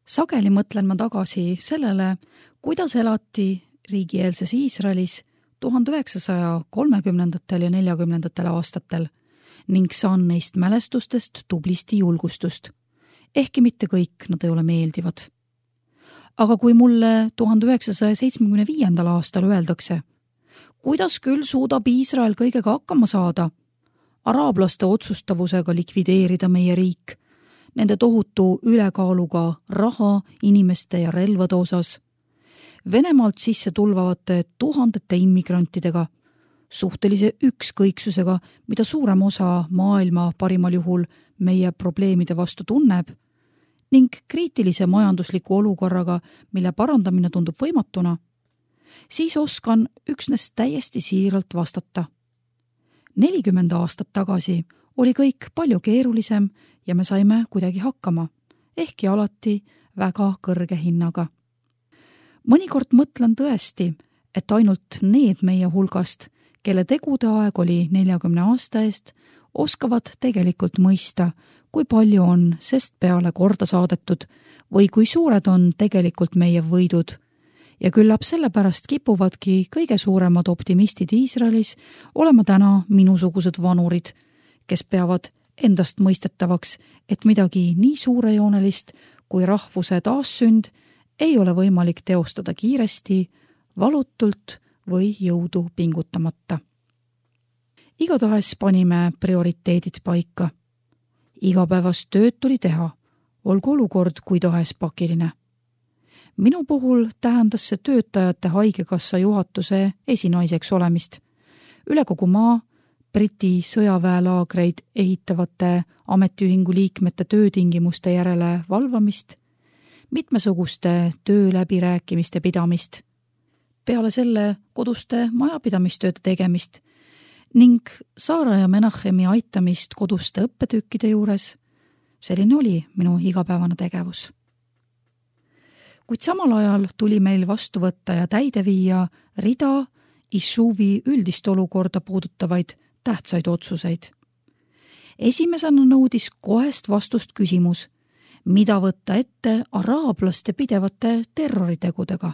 Sageli mõtlen ma tagasi sellele, kuidas elati riigieelses Iisraelis 1930. ja 40. aastatel ning saan neist mälestustest tublisti julgustust. Ehkki mitte kõik nad ei ole meeldivad. Aga kui mulle 1975. aastal öeldakse, kuidas küll suudab Iisrael kõigega hakkama saada, araablaste otsustavusega likvideerida meie riik, nende tohutu ülekaaluga raha, inimeste ja relvade osas, Venemaalt sisse tulvavate tuhandete immigrantidega, suhtelise ükskõiksusega, mida suurem osa maailma parimal juhul meie probleemide vastu tunneb, ning kriitilise majandusliku olukorraga, mille parandamine tundub võimatuna, siis oskan üksnes täiesti siiralt vastata. 40 aastat tagasi oli kõik palju keerulisem ja me saime kuidagi hakkama, ehkki alati väga kõrge hinnaga. Mõnikord mõtlen tõesti, et ainult need meie hulgast, kelle tegude aeg oli 40 aasta eest, oskavad tegelikult mõista, kui palju on sest peale korda saadetud või kui suured on tegelikult meie võidud. Ja küllap sellepärast kipuvadki kõige suuremad optimistid Iisraelis olema täna minusugused vanurid, kes peavad endast mõistetavaks, et midagi nii suurejoonelist kui rahvuse taassünd ei ole võimalik teostada kiiresti, valutult või jõudu pingutamata. Igatahes panime prioriteedid paika. Igapäevast tööd tuli teha, olgu olukord kui tahes pakiline. Minu puhul tähendas see töötajate haigekassa juhatuse esinaiseks olemist. Üle kogu maa Briti sõjaväelaagreid ehitavate ametiühingu liikmete töötingimuste järele valvamist, mitmesuguste tööläbirääkimiste pidamist, peale selle koduste majapidamistööde tegemist ning Saara ja Menachemi aitamist koduste õppetükkide juures. Selline oli minu igapäevane tegevus. Kuid samal ajal tuli meil vastu võtta ja täide viia rida Ishuvi üldist olukorda puudutavaid tähtsaid otsuseid. Esimesena nõudis kohest vastust küsimus, mida võtta ette araablaste pidevate terroritegudega.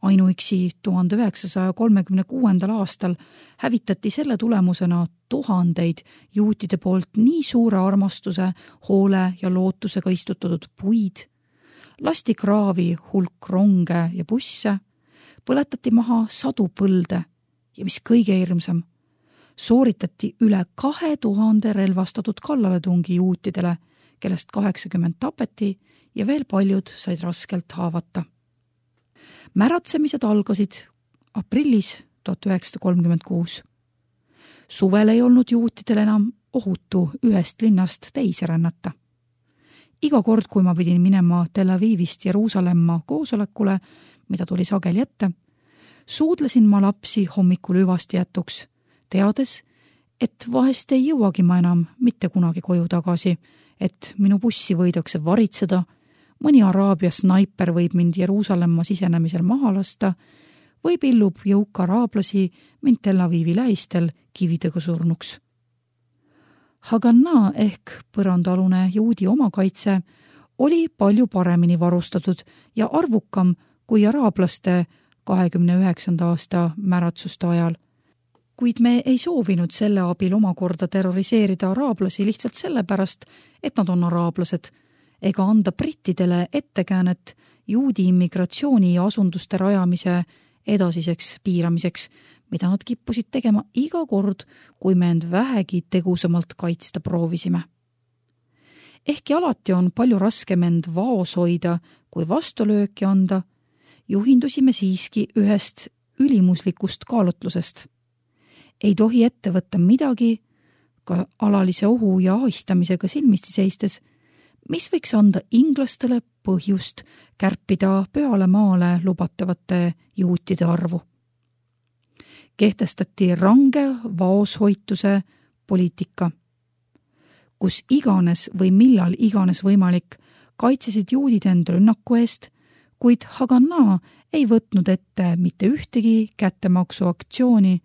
Ainuüksi 1936. aastal hävitati selle tulemusena tuhandeid juutide poolt nii suure armastuse, hoole ja lootusega istutatud puid, lasti kraavi hulk ronge ja busse, põletati maha sadu põlde ja mis kõige hirmsam, sooritati üle 2000 relvastatud kallaletungi juutidele, kellest 80 tapeti ja veel paljud said raskelt haavata. Märatsemised algasid aprillis 1936. Suvel ei olnud juutidel enam ohutu ühest linnast teise rännata. Iga kord, kui ma pidin minema Tel Avivist Jeruusalemma koosolekule, mida tuli sageli ette, suudlesin ma lapsi hommikul hüvasti jätuks, teades, et vahest ei jõuagi ma enam mitte kunagi koju tagasi, et minu bussi võidakse varitseda, mõni Araabia snaiper võib mind Jeruusalemma sisenemisel maha lasta või pillub jõuk araablasi mind Tel Avivi lähistel kividega surnuks. Haganna ehk põrandalune juudi omakaitse oli palju paremini varustatud ja arvukam kui araablaste 29. aasta märatsuste ajal. Kuid me ei soovinud selle abil omakorda terroriseerida araablasi lihtsalt sellepärast, et nad on araablased, ega anda brittidele ettekäänet juudi immigratsiooni ja asunduste rajamise edasiseks piiramiseks, mida nad kippusid tegema iga kord, kui me end vähegi tegusamalt kaitsta proovisime. Ehkki alati on palju raskem end vaos hoida, kui vastulööki anda, juhindusime siiski ühest ülimuslikust kaalutlusest. Ei tohi ette võtta midagi, ka alalise ohu ja ahistamisega silmisti seistes, mis võiks anda inglastele põhjust kärpida peale maale lubatavate juutide arvu. Kehtestati range vaoshoituse poliitika, kus iganes või millal iganes võimalik kaitsesid juudid end rünnaku eest, kuid Haganna ei võtnud ette mitte ühtegi kättemaksuaktsiooni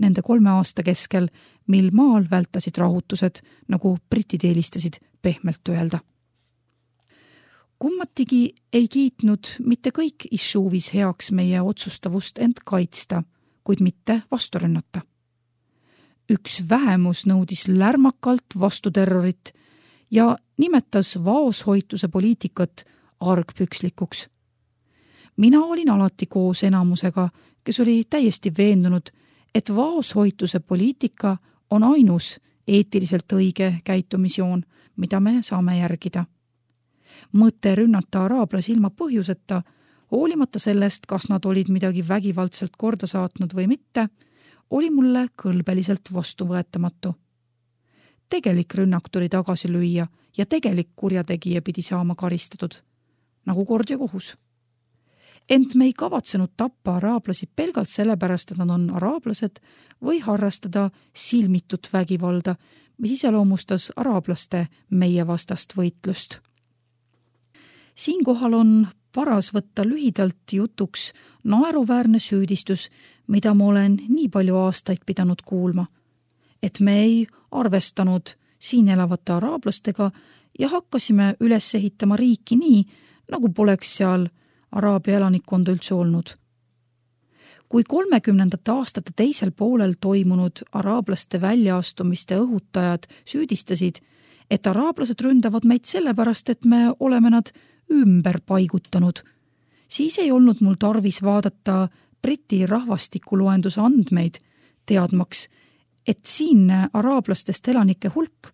nende 3 aasta keskel, mil maal vältasid rahutused, nagu britid eelistasid pehmelt öelda. Kummatigi ei kiitnud mitte kõik Išuvis heaks meie otsustavust end kaitsta, kuid mitte vastu rünnata. Üks vähemus nõudis lärmakalt vastuterrorit ja nimetas vaoshoituse poliitikat argpükslikuks. Mina olin alati koos enamusega, kes oli täiesti veendunud, et vaoshoituse poliitika on ainus eetiliselt õige käitumisjoon, mida me saame järgida. Mõte rünnata araablasi ilma põhjuseta, hoolimata sellest, kas nad olid midagi vägivaldselt korda saatnud või mitte, oli mulle kõlbeliselt vastuvõetamatu. Tegelik rünnak tuli tagasi lüüa ja tegelik kurjategija pidi saama karistatud, nagu kord ja kohus. Ent me ei kavatsenud tappa araablasi pelgalt sellepärast, et nad on araablased või harrastada silmitut vägivalda, mis iseloomustas araablaste meie vastast võitlust. Siinkohal on paras võtta lühidalt jutuks naeruväärne süüdistus, mida ma olen nii palju aastaid pidanud kuulma, et me ei arvestanud siin elavate araablastega ja hakkasime üles ehitama riiki nii, nagu poleks seal Araabia elanikkonda üldse olnud. Kui 30. aastate teisel poolel toimunud araablaste väljaastumiste õhutajad süüdistasid, et araablased ründavad meid sellepärast, et me oleme nad ümber paigutanud, siis ei olnud mul tarvis vaadata Briti rahvastikuloenduse andmeid, teadmaks, et siinne araablastest elanike hulk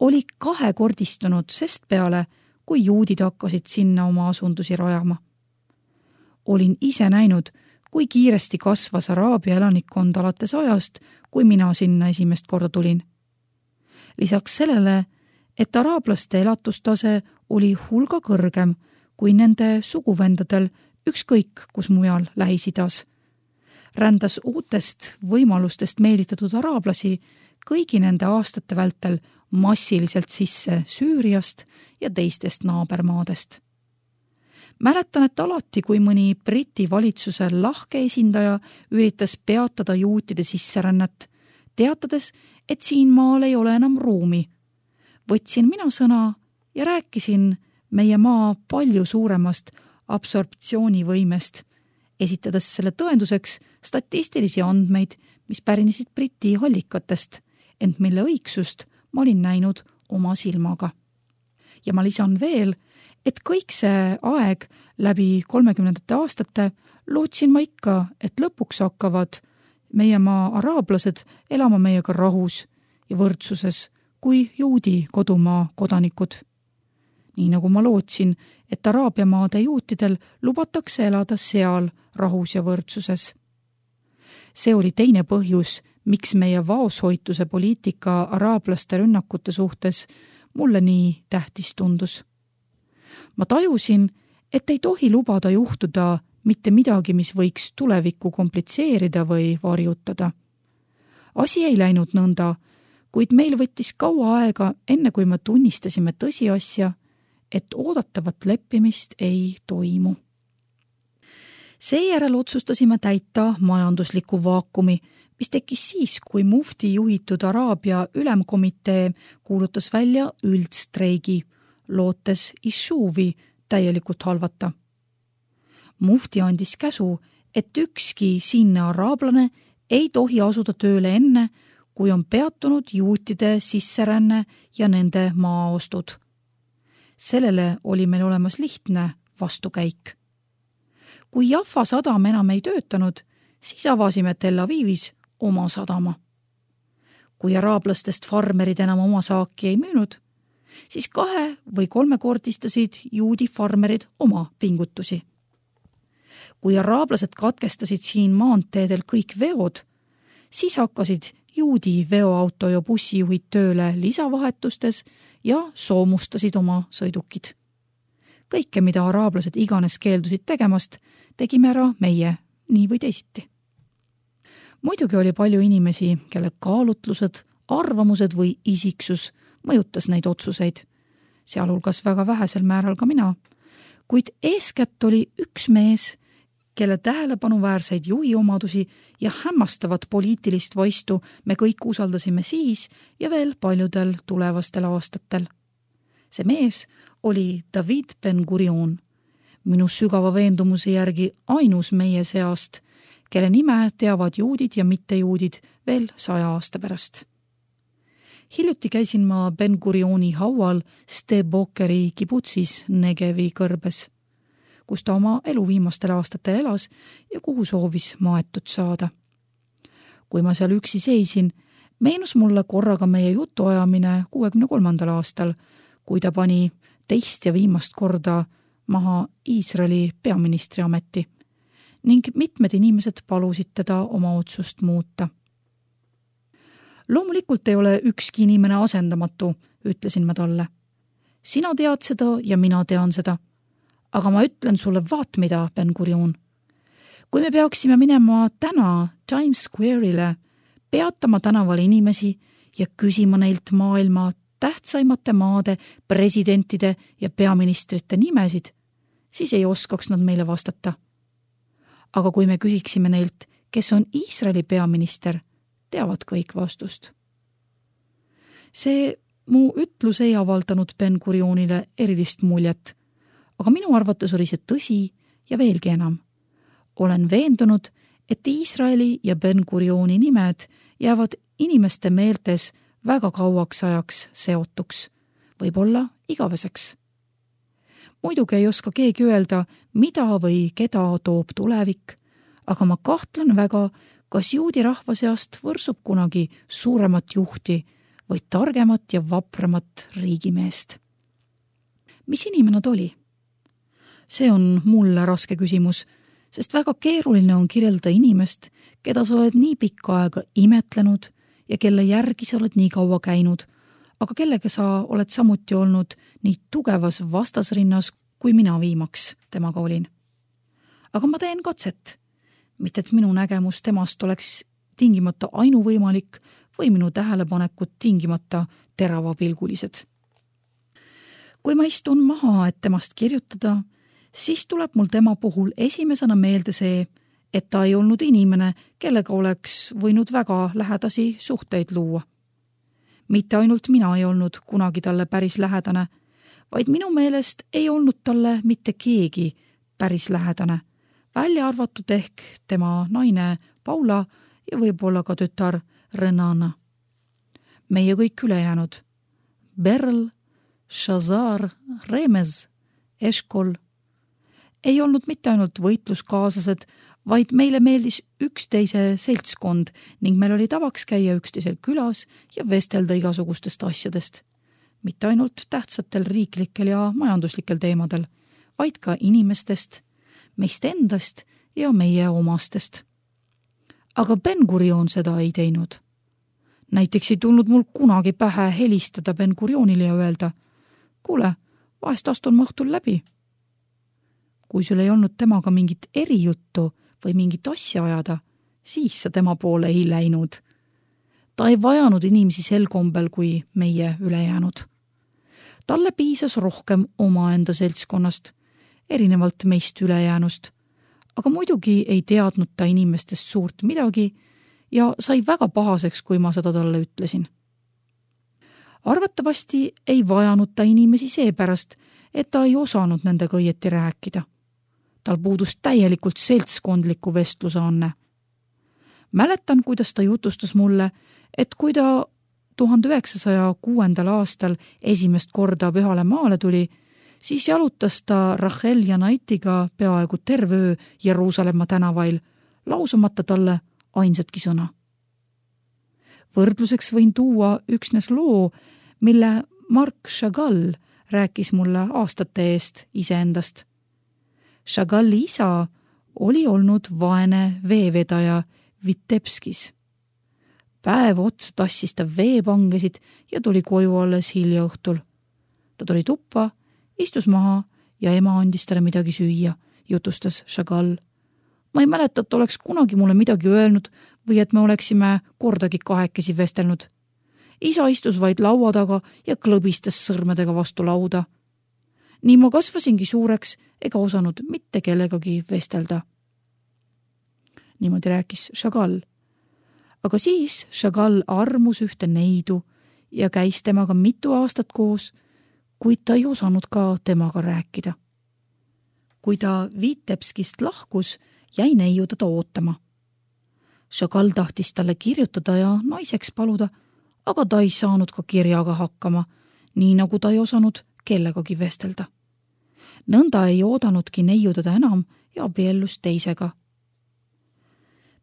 oli kahekordistunud sest peale, kui juudid hakkasid sinna oma asundusi rajama. Olin ise näinud, kui kiiresti kasvas Araabia elanikkond alates ajast, kui mina sinna esimest korda tulin. Lisaks sellele, et araablaste elatustase oli hulga kõrgem kui nende suguvendadel ükskõik kus mujal Lähis-Idas, rändas uutest võimalustest meelitatud araablasi kõigi nende aastate vältel massiliselt sisse Süüriast ja teistest naabermaadest. Mäletan, et alati, kui mõni Briti valitsuse lahke esindaja üritas peatada juutide sisserännet, teatades, et siin maal ei ole enam ruumi, võtsin mina sõna ja rääkisin meie maa palju suuremast absorptsioonivõimest, esitades selle tõenduseks statistilisi andmeid, mis pärinesid Briti allikatest, ent mille õigsust ma olin näinud oma silmaga. Ja ma lisan veel, et kõik see aeg läbi 30. aastate lootsin ma ikka, et lõpuks hakkavad meie maa araablased elama meiega rahus ja võrdsuses kui juudi kodumaa kodanikud. Nii nagu ma lootsin, et Araabia maade juutidel lubatakse elada seal rahus ja võrdsuses. See oli teine põhjus, miks meie vaoshoituse poliitika araablaste rünnakute suhtes mulle nii tähtis tundus. Ma tajusin, et ei tohi lubada juhtuda mitte midagi, mis võiks tulevikku komplitseerida või varjutada. Asi ei läinud nõnda, kuid meil võttis kaua aega, enne kui me tunnistasime tõsiasja, et oodatavat leppimist ei toimu. Seejärel otsustasime täita majandusliku vaakumi, mis tekkis siis, kui mufti juhitud Araabia ülemkomitee kuulutas välja üldstreigi, lootes Išuvi täielikult halvata. Mufti andis käsu, et ükski siinne araablane ei tohi asuda tööle enne, kui on peatunud juutide sisseränne ja nende maaostud. Sellele oli meil olemas lihtne vastukäik. Kui Jaffa sadam enam ei töötanud, siis avasime Tel Avivis oma sadama. Kui araablastest farmerid enam oma saaki ei müünud, siis 2- või 3-kordistasid juudi farmerid oma pingutusi. Kui araablased katkestasid siin maanteedel kõik veod, siis hakkasid juudi veoauto ja bussijuhid tööle lisavahetustes ja soomustasid oma sõidukid. Kõike, mida araablased iganes keeldusid tegemast, tegime ära meie, nii või teisiti. Muidugi oli palju inimesi, kelle kaalutlused, arvamused või isiksus mõjutas neid otsuseid, sealhulgas väga vähesel määral ka mina, kuid eeskätt oli üks mees, kelle tähelepanuväärseid juhi omadusi ja hämmastavat poliitilist vaistu me kõik usaldasime siis ja veel paljudel tulevastel aastatel. See mees oli David Ben-Gurion, minu sügava veendumuse järgi ainus meie seast, kelle nime teavad juudid ja mittejuudid veel 100 aasta pärast. Hiljuti käisin ma Ben-Gurioni haual Stebokeri kibutsis Negevi kõrbes, kus ta oma elu viimastel aastatel elas ja kuhu soovis maetud saada. Kui ma seal üksi seisin, meenus mulle korraga meie jutuajamine 63. aastal, kui ta pani teist ja viimast korda maha Iisraeli peaministri ameti ning mitmed inimesed palusid teda oma otsust muuta. Loomulikult ei ole ükski inimene asendamatu, ütlesin ma talle. Sina tead seda ja mina tean seda. Aga ma ütlen sulle vaat mida, Ben-Gurion. Kui me peaksime minema täna Times Square'ile, peatama tänaval inimesi ja küsima neilt maailma tähtsaimate maade, presidentide ja peaministrite nimesid, siis ei oskaks nad meile vastata. Aga kui me küsiksime neilt, kes on Iisraeli peaminister, teavad kõik vastust. See mu ütlus ei avaldanud Ben-Gurionile erilist muljet, aga minu arvates oli see tõsi ja veelgi enam. Olen veendunud, et Iisraeli ja Ben-Gurioni nimed jäävad inimeste meeltes väga kauaks ajaks seotuks, võib-olla igaveseks. Muidugi ei oska keegi öelda, mida või keda toob tulevik, aga ma kahtlen väga, kas juudi rahva seast võrsub kunagi suuremat juhti või targemat ja vapramat riigimeest. Mis inimene ta oli? See on mulle raske küsimus, sest väga keeruline on kirjelda inimest, keda sa oled nii pikka aega imetlenud ja kelle järgi sa oled nii kaua käinud, aga kellega sa oled samuti olnud nii tugevas vastasrinnas, kui mina viimaks temaga olin. Aga ma teen katset, mitte et minu nägemus temast oleks tingimata ainuvõimalik või minu tähelepanekud tingimata teravapilgulised. Kui ma istun maha, et temast kirjutada, siis tuleb mul tema puhul esimesena meelde see, et ta ei olnud inimene, kellega oleks võinud väga lähedasi suhteid luua. Mitte ainult mina ei olnud kunagi talle päris lähedane, vaid minu meelest ei olnud talle mitte keegi päris lähedane, välja arvatud ehk tema naine Paula ja võib-olla ka tütar Renana. Meie kõik ülejäänud, Berl, Shazar, Remez, Eshkol, ei olnud mitte ainult võitluskaaslased, vaid meile meeldis üksteise seltskond ning meil oli tavaks käia üksteisel külas ja vestelda igasugustest asjadest. Mitte ainult tähtsatel riiklikel ja majanduslikel teemadel, vaid ka inimestest, meist endast ja meie omastest. Aga Ben-Gurion seda ei teinud. Näiteks ei tulnud mul kunagi pähe helistada Ben-Gurionile ja öelda, kuule, vahest astun ma õhtul läbi. Kui sul ei olnud temaga mingit erijuttu või mingit asja ajada, siis sa tema poole ei läinud. Ta ei vajanud inimesi sel kombel kui meie ülejäänud. Talle piisas rohkem omaenda seltskonnast, erinevalt meist ülejäänust, aga muidugi ei teadnud ta inimestest suurt midagi ja sai väga pahaseks, kui ma seda talle ütlesin. Arvatavasti ei vajanud ta inimesi seepärast, et ta ei osanud nendega õieti rääkida. Tal puudus täielikult seltskondliku vestluse anne. Mäletan, kuidas ta jutustas mulle, et kui ta 1906. aastal esimest korda Pühale maale tuli, siis jalutas ta Rachel ja Naitiga peaaegu terve öö Jeruusalemma tänavail, lausumata talle ainsatki sõna. Võrdluseks võin tuua üksnes loo, mille Marc Chagall rääkis mulle aastate eest iseendast. Chagalli isa oli olnud vaene veevedaja Vitebskis. Päev otsa tassis ta veepangesid ja tuli koju alles hilja õhtul. Ta tuli tuppa, istus maha ja ema andis talle midagi süüa, jutustas Chagall. Ma ei mäleta, et oleks kunagi mulle midagi öelnud või et me oleksime kordagi kahekesi vestelnud. Isa istus vaid laua taga ja klõbistas sõrmedega vastu lauda. Nii ma kasvasingi suureks ega osanud mitte kellegagi vestelda. Niimoodi rääkis Chagall. Aga siis Chagall armus ühte neidu ja käis temaga mitu aastat koos, kuid ta ei osanud ka temaga rääkida. Kui ta Vitebskist lahkus, jäi neiu teda ootama. Chagall tahtis talle kirjutada ja naiseks paluda, aga ta ei saanud ka kirjaga hakkama, nii nagu ta ei osanud kellegagi vestelda. Nõnda ei oodanudki neiu teda enam ja abiellus teisega.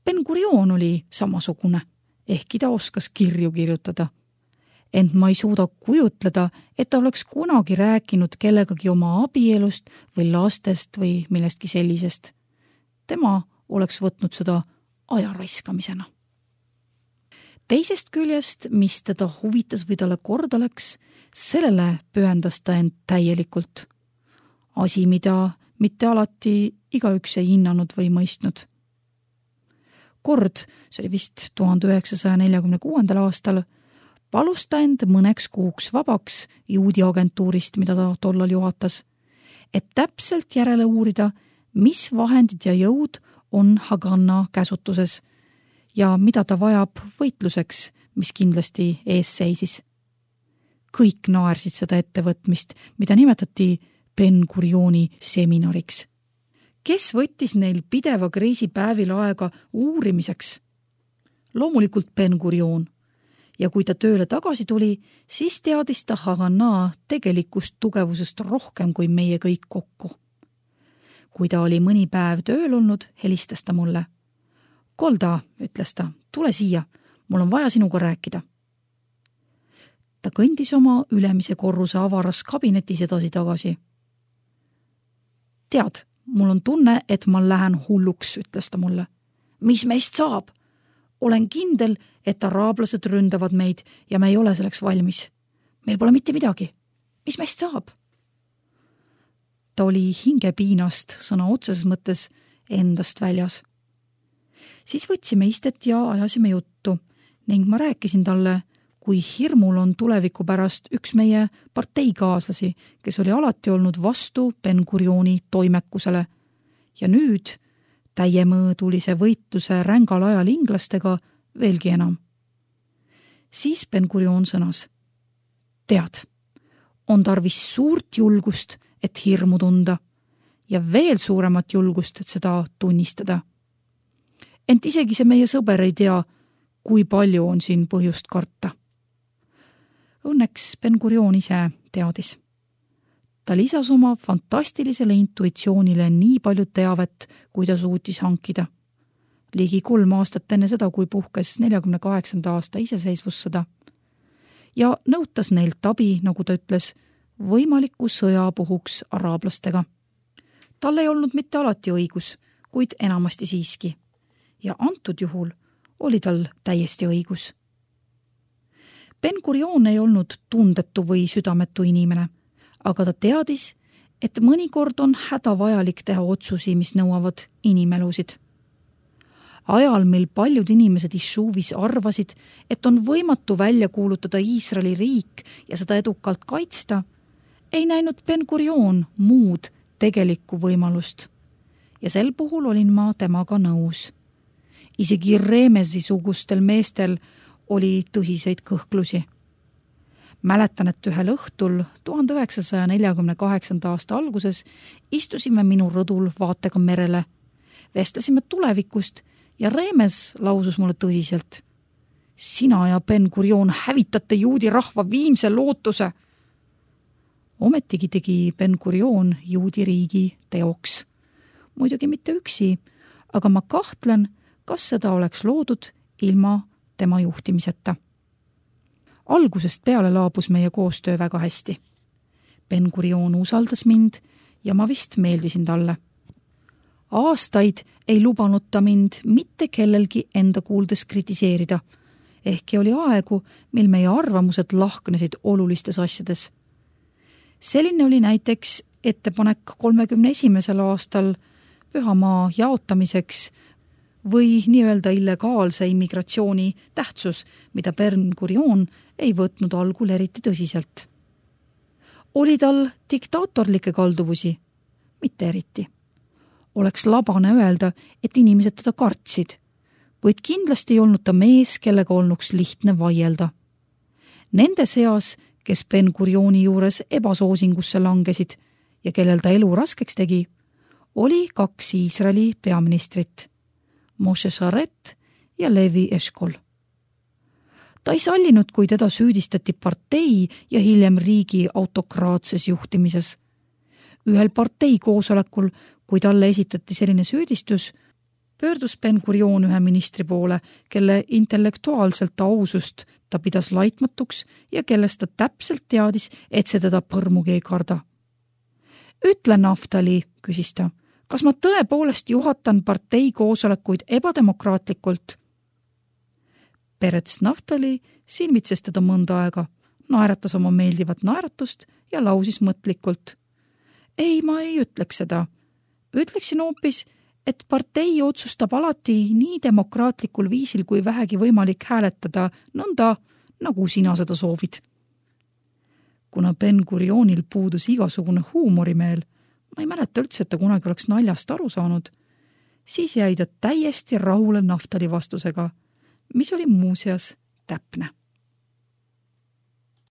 Ben-Gurion oli samasugune, ehkki ta oskas kirju kirjutada. Ent ma ei suuda kujutleda, et ta oleks kunagi rääkinud kellegagi oma abielust või lastest või millestki sellisest. Tema oleks võtnud seda ajaraiskamisena. Teisest küljest, mis teda huvitas või talle korda läks, sellele pühendas ta end täielikult. Asi, mida mitte alati igaüks ei hinnanud või mõistnud. Kord, see oli vist 1946. aastal, palus ta end mõneks kuuks vabaks juudi agentuurist, mida ta tollal juhatas, et täpselt järele uurida, mis vahendid ja jõud on Haganah käsutuses ja mida ta vajab võitluseks, mis kindlasti ees seisis. Kõik naersid seda ettevõtmist, mida nimetati Ben-Gurioni seminariks. Kes võttis neil pideva kriisi päevil aega uurimiseks? Loomulikult Ben-Gurion. Ja kui ta tööle tagasi tuli, siis teadis ta Haganah tegelikust tugevusest rohkem kui meie kõik kokku. Kui ta oli mõni päev tööl olnud, helistas ta mulle. Golda, ütles ta, tule siia, mul on vaja sinuga rääkida. Ta kõndis oma ülemise korruse avaras kabinetis edasi-tagasi. Tead, mul on tunne, et ma lähen hulluks, ütles ta mulle. Mis meist saab? Olen kindel, et araablased ründavad meid ja me ei ole selleks valmis. Meil pole mitte midagi. Mis meist saab? Ta oli hingepiinast sõna otseses mõttes endast väljas. Siis võtsime istet ja ajasime juttu ning ma rääkisin talle, kui hirmul on tuleviku pärast üks meie parteikaaslasi, kes oli alati olnud vastu Ben-Gurioni toimekusele ja nüüd täiemõõdulise võitluse rängal ajal inglastega veelgi enam. Siis Ben-Gurion sõnas. Tead, on tarvis suurt julgust, et hirmu tunda ja veel suuremat julgust, et seda tunnistada. Ent isegi see meie sõber ei tea, kui palju on siin põhjust karta. Õnneks Ben-Gurion ise teadis. Ta lisas oma fantastilisele intuitsioonile nii palju teavet, kui ta suutis hankida. Ligi 3 aastat enne seda, kui puhkes 48. aasta iseseisvussõda. Ja nõutas neilt abi, nagu ta ütles, võimaliku sõja puhuks araablastega. Tal ei olnud mitte alati õigus, kuid enamasti siiski. Ja antud juhul oli tal täiesti õigus. Ben-Gurion ei olnud tundetu või südametu inimene, aga ta teadis, et mõnikord on hädavajalik teha otsusi, mis nõuavad inimelusid. Ajal, mil paljud inimesed Ishuvis arvasid, et on võimatu välja kuulutada Iisraeli riik ja seda edukalt kaitsta, ei näinud Ben-Gurion muud tegelikku võimalust. Ja sel puhul olin ma temaga nõus. Isegi Remesi-sugustel meestel oli tõsiseid kõhklusi. Mäletan, et ühel õhtul 1948. aasta alguses istusime minu rõdul vaatega merele. Vestlesime tulevikust ja Remes lausus mulle tõsiselt. Sina ja Ben-Gurion hävitate juudi rahva viimse lootuse. Ometigi tegi Ben-Gurion juudi riigi teoks. Muidugi mitte üksi, aga ma kahtlen, kas seda oleks loodud ilma tema juhtimiseta. Algusest peale laabus meie koostöö väga hästi. Ben-Gurion usaldas mind ja ma vist meeldisin talle. Aastaid ei lubanud ta mind mitte kellelgi enda kuuldes kritiseerida, ehkki oli aegu, mil meie arvamused lahknesid olulistes asjades. Selline oli näiteks ettepanek 31. aastal pühamaa jaotamiseks või nii-öelda illegaalse immigratsiooni tähtsus, mida Ben-Gurion ei võtnud algul eriti tõsiselt. Oli tal diktaatorlikke kalduvusi? Mitte eriti. Oleks labane öelda, et inimesed teda kartsid, kuid kindlasti ei olnud ta mees, kellega olnuks lihtne vaielda. Nende seas, kes Ben-Gurioni juures ebasoosingusse langesid ja kellel ta elu raskeks tegi, oli 2 Iisraeli peaministrit, Moshe Sharet ja Levi Eshkol. Ta ei sallinud, kui teda süüdistati partei ja hiljem riigi autokraatses juhtimises. Ühel partei koosolekul, kui talle esitati selline süüdistus, pöördus Ben-Gurion ühe ministri poole, kelle intellektuaalselt ausust ta pidas laitmatuks ja kellest ta täpselt teadis, et see teda põrmugi ei karda. Ütle, Naftali, küsis ta, kas ma tõepoolest juhatan partei koosolekuid ebademokraatlikult? Perets Naftali silmitses teda mõnda aega, naeratas oma meeldivat naeratust ja lausis mõtlikult. Ei, ma ei ütleks seda. Ütleksin hoopis, et partei otsustab alati nii demokraatlikul viisil, kui vähegi võimalik hääletada, nõnda, nagu sina seda soovid. Kuna Ben-Gurionil puudus igasugune huumorimeel, ma ei mäleta üldse, et ta kunagi oleks naljast aru saanud, siis jäi ta täiesti rahule Naftali vastusega, mis oli muuseas täpne.